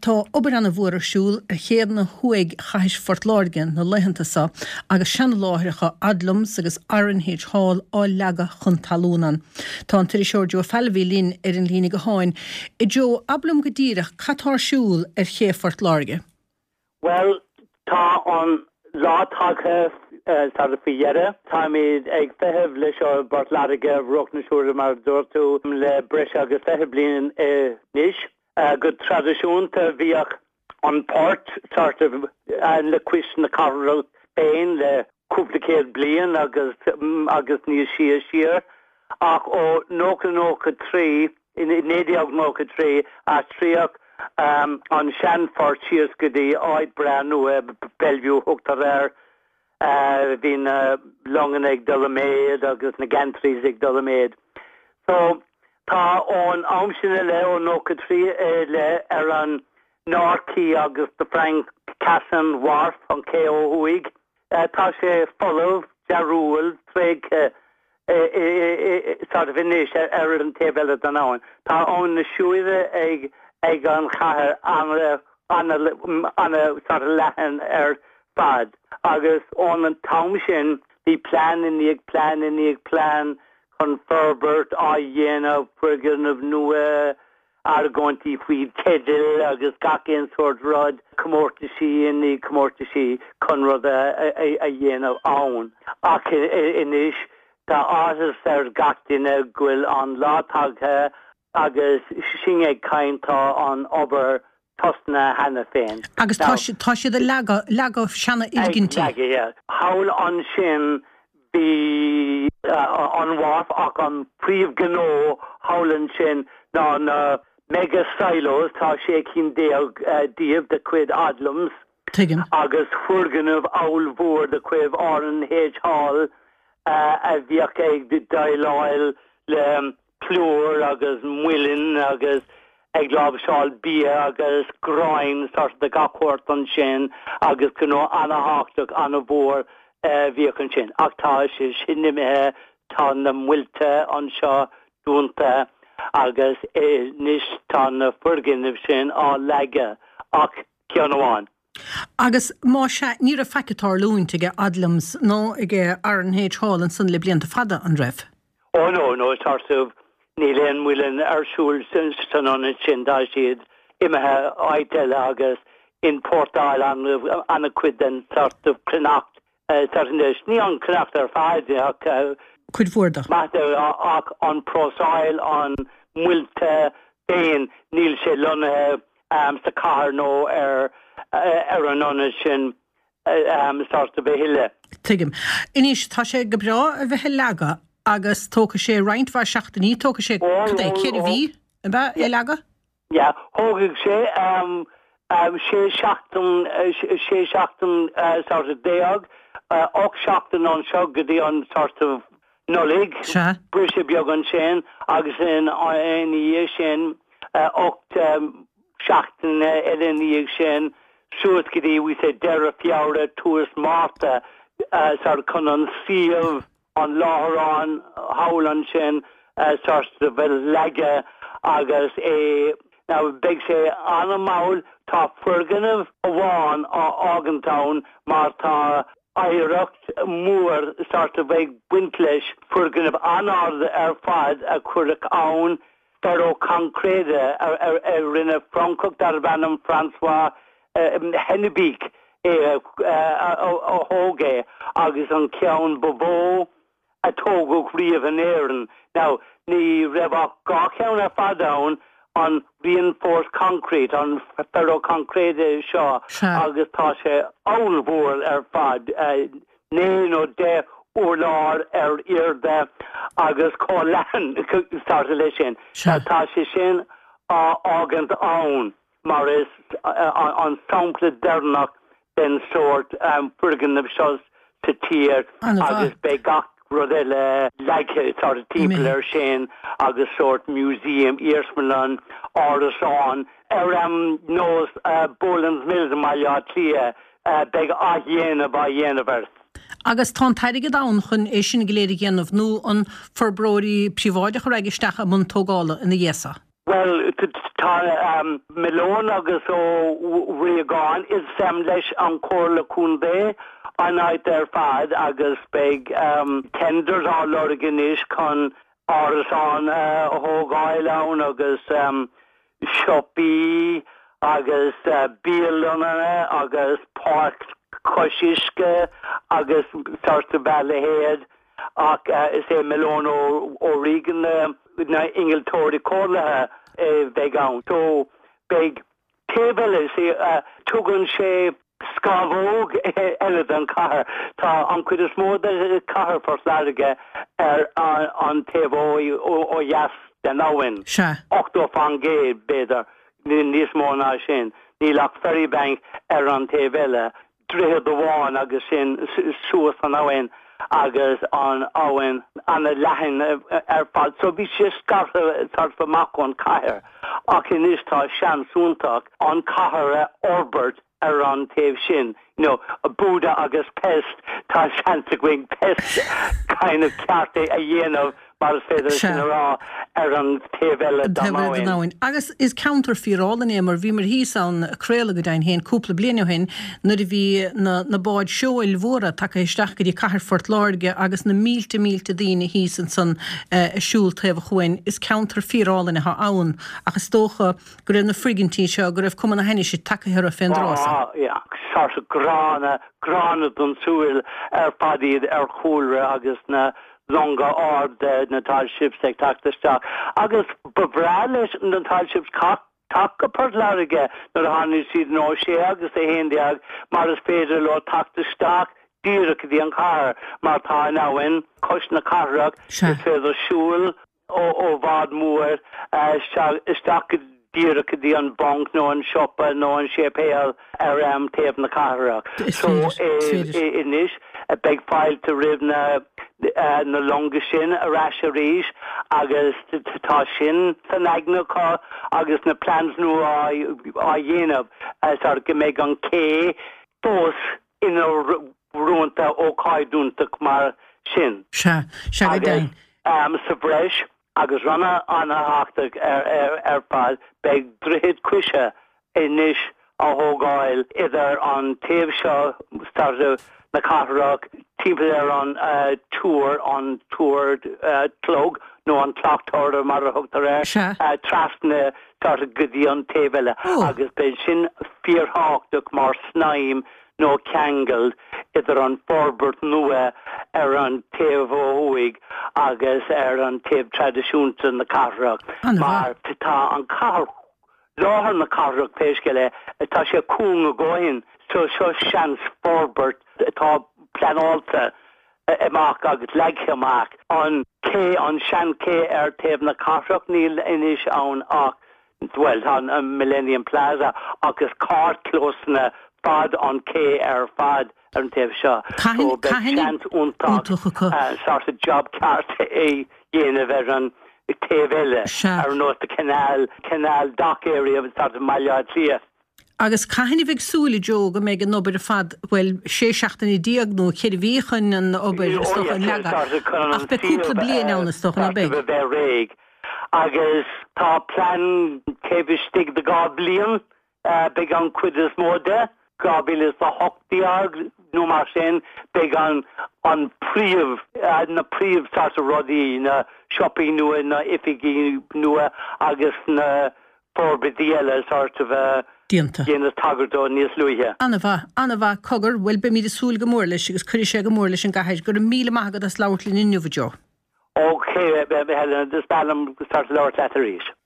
Tá obair ana mhór ar siúl ar chéanna thuaidh Chathair Phort Láirge na laethanta seo agus seana-láithreacha Odlums agus R&H Hall á leagadh chun talún ann. Tá an t-iriseoir Joe Fallivy linn ar an líne gutháin. A Joe, abair liom go díreach cad tá ar siúl ar ché Phort Láirge? Bhuel, tá an lá tagtha sort of faoi dheireadh. Táimid ag feitheamh le seo i bPort Láirge, ar Bhruach na Siúire mar a dúirt tú, le breis agus 20 bliain anois. Go traidisiúnta bhíodh an port sort of le cois na cathrach féin le cúpla céad bliain agus agus níos sia siar ach ó 90 93, 1993, aistríodh an seanphort síos go dtí áit breá nua, Bellevue thugtar air. Bhí na longanna ag dul i méid agus na gantries ag dul i méid. So tá ón am sin i leith, ó 93 i leith, ar an North Quay agus the Frank Cassin Wharf, an cé ó thuaidh. Tá sé folamh, dearóil, tréigthe sort of anois ar an taobh eile den abhainn. Tá Abhainn na Siúire ag ag an chathair ana sort of leathan ar fad agus ón an t-am sin bhí plean i ndiaidh plean i ndiaidh plean chun forbairt á dhéanamh, foirgneamh nua, argóintí faoi teidil agus gach aon sórt rud, comórtaisí i ndiaidh comórtaisí chun rud a dhéanamh ann. Ach anois tá áthas ar gach duine go bhfuil an lá tagtha agus sinn ag caint tá an obair tosnaithe cheana féin. Agus tá tá siad ag leagadh, leagadh seana-fhoirgintí. Ag leagadh, yeah. Thall ansin Bhí an wharf ach an príomhghnó thall ansin ná na mega silos, tá 16 cinn díobh de chuid Odlums Tuigim. agus foirgneamh ollmhór de chuid R&H Hall a bhíodh ag déileáil le plúr agus muileann agus ag láimhseáil bia agus gráin sort de gach sórt ansin agus gnó ana-thábhachtach ana-mhór a bhíodh ansin. Ach tá sé sin imithe, tá na muilte anseo dúnta agus anois tá na foirgnimh sin á leagadh ach ceann amháin. Agus más ea, ní raibh faic ag tarlúint aige Odlums ná aige R&H Hall ansan le blianta fada, an raibh? Oh no, no, sort of, níl aon mhuileann ar siúl san ionad sin, tá siad imithe áit eile agus importáil an-chuid den sort of cruithneacht sort anois, ní an chruithneacht ar fad ach cuid mhór de. maith de ach an próiseáil, an muilte féin, níl sé lonnaithe sa chathair nó ar ar an ionad sin sort of a thuilleadh. Tuigim. Anois, tá sé go breá a bheith ag leagadh agus tógfaidh sé roinnt mhaith seachtainí, tógfaidh sé, cad é, 4 mhí, ab ea, é a leagadh? Yeah, thógfaidh sé sé seachtain, sé seachtain sort of déag, 8 seachtain anseo go dtí an sort of Nollaig, briseadh beag ansin agus ina dhiaidh sin 8 seachtaine eile ina dhiaidh sin suas go dtí, we say, deireadh Feabhra, tús Márta sort of chun an suíomh, an láithreán thall ansin sort of a leagadh agus é, now beidh sé an-mhall, tá foirgneamh amháin á fhágaint ann mar tá oidhreacht mhór sort of ag baint leis, foirgneamh an-ard ar fad a cuireadh ann, ferro-concrete a rinne Francach darbh ainm François Hennebique é a thóg é agus an ceann ba mhó a tógadh riamh in Éirinn. Now, ní raibh ach 2 cheann ar fad ann, an reinforced concrete, an ferro-concrete seo agus tá sé ollmhór ar fad, 9 nó 10 urlár ar airde agus chomh leathan sort of leis sin. Tá sé sin á fhágaint ann. mar is an sampla deireanach den sórt foirgneamh seo sa tír agus beidh gach rud eile leagtha sort of timpeall air sin agus sórt museum, iarsmalann, árasán ar nós Boland's Mills i mBaile Átha Cliath, beidh athdhéanamh á dhéanamh air. Agus tá an t-airgead ann chun é sin go léir a dhéanamh nó an forbróirí príobháideacha a raghaidh isteach i mbun tógála ina dhiaidh so? Bhuel, tá Malone agus Ó Riagáin, is leis an Chomhairle Contae an áit ar fad agus beidh tenders á lorg anois chun árasán a thógáil ann agus siopaí agus bialanna agus páirc cois uisce agus sort of a leithéid. Ach is é Malone O'Regan na innealtóirí comhairleacha a bheidh ann. So beidh taobh eile, see, tugann sé scamhóg eile don chathair. Tá an chuid is mó de chathair Phort Láirge ar an taobh ó dheas den abhainn. Sea. 80%, b'fhéidir, níos mó ná sin. Níl ach Ferrybank ar an taobh eile. Droichead amháin agus sin suas an abhainn agus an abhainn ana leathan ar fad so bhí sé scartha sort of amach ón cathair ach anois tá seans iontach an cathair a fhorbairt ar an taobh sin you know Buda agus Pest tá seans againn Pest kind of ceart a dhéanamh mar is féidir sin a rá, ar an taobh eile den abhainn. Agus is ceantar fíorálainn é mar bhíomar thíos ann ag craoladh go deimhin féin cúpla bliain ó shin nuair a bhí na na báid seoil mhóra tagtha isteach go dtí cathair Phort Láirge agus na mílte mílte daoine thíos ansan ag siúl taobh an chuain. Is ceantar fíorálainn atá ann ach is dócha go raibh na foirgintí seo, go raibh cuma na hainnise tagtha orthu fén dtráth san. Á, yeah, sort of gránna, gránna don tsúil ar fad iad ar chúlra agus na longa arda, na tall ships ag teacht isteach. Agus ba bhreá leis na tall ships teacht go Port Láirge nuair a tháinig siad in 06 agus 11 mar is féidir leo teacht isteach díreach go dtí an chathair mar tá an abhainn cois na cathrach, is féidir siúl ó bhád mór isteach go díreach go dtí an banc nó an siopa nó an séipéal ar taobh na cathrach. So anois beidh fáilte roimh na na longa sin ar ais arís agus tá sin san aigne acu agus na plans nua á dhéanamh sort go mbeidh an cé fós ina iontach ócáid iontach mar sin. Sea, sea go deimhin. Agus sa bhreis, agus rud an-thábhachtach ar fad, beidh droichead coise anois á thógáil idir an taobh seo sort of na cathrach, timpeall ar an túr, an túr clog nó an clock tower mar a thugtar air, trasna sort of go dtí an taobh eile agus beidh sin fíorthábhachtach mar snaidhm nó ceangal idir an forbairt nua ar an taobh ó thuaidh agus ar an taobh traidisiúnta na cathrach mar tá an cathair, láthair na cathrach pé scéal é, tá sé cúng a dhóthain so seo seans forbairt atá pleanáilte amach agus leagtha amach. An cé, an sean ché ar taobh na cathrach níl anois ann ach Bhuel, tá an Millennium Plaza agus carrchlósanna fad an ché ar fad ar an taobh seo. So beidh seans iontach sort of job ceart a dhéanamh ar an taobh eile, ar nós the canal, canal dock area sort of mBaile Átha Cliath. Agus caithfidh a bheith ag súil, a Joe, go mbeidh an obair ar fad, bhuel, 16 seachtaine nó 4 mhí chun an obair, is dócha, a leagadh, ach beidh cúpla bliain ann, is dócha, ná beidh? Agus tá plean taobh istigh de 2 bliain, beidh an chuid is mó de, 2018 nó mar sin, beidh an an príomh, na príomh sort of rudaí, na siopaí nua, na oifigí nua agus na forbairtí eile sort of déanta. Dhéanas tagairt dó níos luaithe. An-mhaith, an-mhaith, cogar, bhuel beimid ag súil go mór leis agus cuirfidh sé go mór leis an gcathair. Go raibh míle maith agat as labhairt linn inniu, a Joe. Ok, Helen, is breá liom sort of labhairt leat arís.